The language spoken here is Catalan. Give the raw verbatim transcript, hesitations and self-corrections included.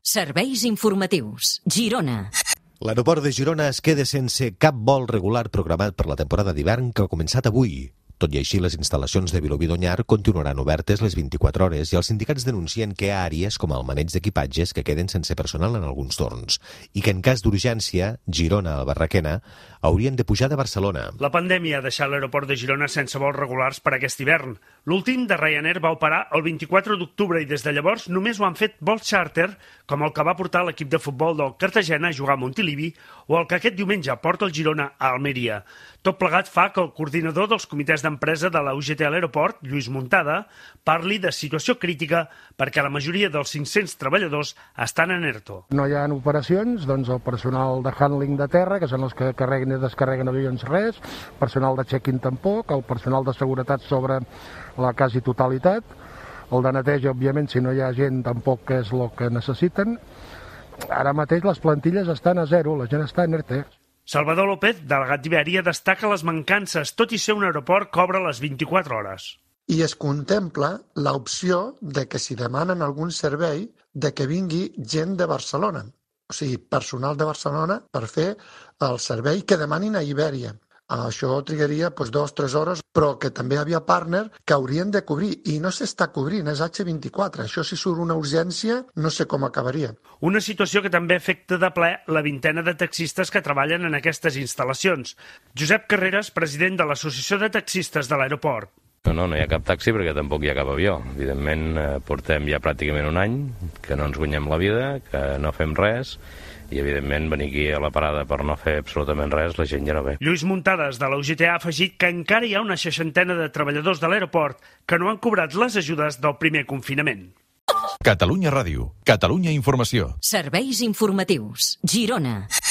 Serveis informatius. Girona. L'aeroport de Girona es queda sense cap vol regular programat per la temporada d'hivern que ha començat avui. Tot i així, les instal·lacions de Vilobí d'Onyar continuaran obertes les vint-i-quatre hores i els sindicats denuncien que hi ha àrees com el maneig d'equipatges que queden sense personal en alguns torns i que en cas d'urgència, Girona o Barraquena haurien de pujar de Barcelona. La pandèmia ha deixat l'aeroport de Girona sense vols regulars per aquest hivern. L'últim de Ryanair va operar el vint-i-quatre d'octubre i des de llavors només ho han fet vols charter, com el que va portar l'equip de futbol del Cartagena a jugar a Montilivi o el que aquest diumenge porta el Girona a Almeria. Tot plegat fa que el coordinador dels comitès d'empresa de la U G T a l'aeroport, Lluís Muntada, parli de situació crítica perquè la majoria dels cinc-cents treballadors estan en ERTO. No hi ha operacions, doncs el personal de handling de terra, que són els que carreguen i descarreguen avions, res, personal de check-in tampoc, el personal de seguretat sobre la quasi totalitat, el de neteja, òbviament, si no hi ha gent tampoc és el que necessiten. Ara mateix les plantilles estan a zero, la gent està en ERTE. Salvador López, delegat d'Iberia, destaca les mancances, tot i ser un aeroport que obre les vint-i-quatre hores. I es contempla l'opció de que si demanen algun servei, de que vingui gent de Barcelona, o sigui, personal de Barcelona per fer el servei que demanin a Ibèria. Això trigaria doncs, dues o tres hores, però que també hi havia partner que haurien de cobrir, i no s'està cobrint, és hache vint-i-quatre. Això si surt una urgència, no sé com acabaria. Una situació que també afecta de ple la vintena de taxistes que treballen en aquestes instal·lacions. Josep Carreras, president de l'Associació de Taxistes de l'Aeroport. No, no, no hi ha cap taxi perquè tampoc hi ha cap avió. Evidentment, eh, portem ja pràcticament un any que no ens guanyem la vida, que no fem res, i evidentment venir aquí a la parada per no fer absolutament res, la gent ja no ve. Lluís Muntades, de la U G T, ha afegit que encara hi ha una seixantena de treballadors de l'aeroport que no han cobrat les ajudes del primer confinament. Catalunya Ràdio, Catalunya Informació. Serveis informatius. Girona.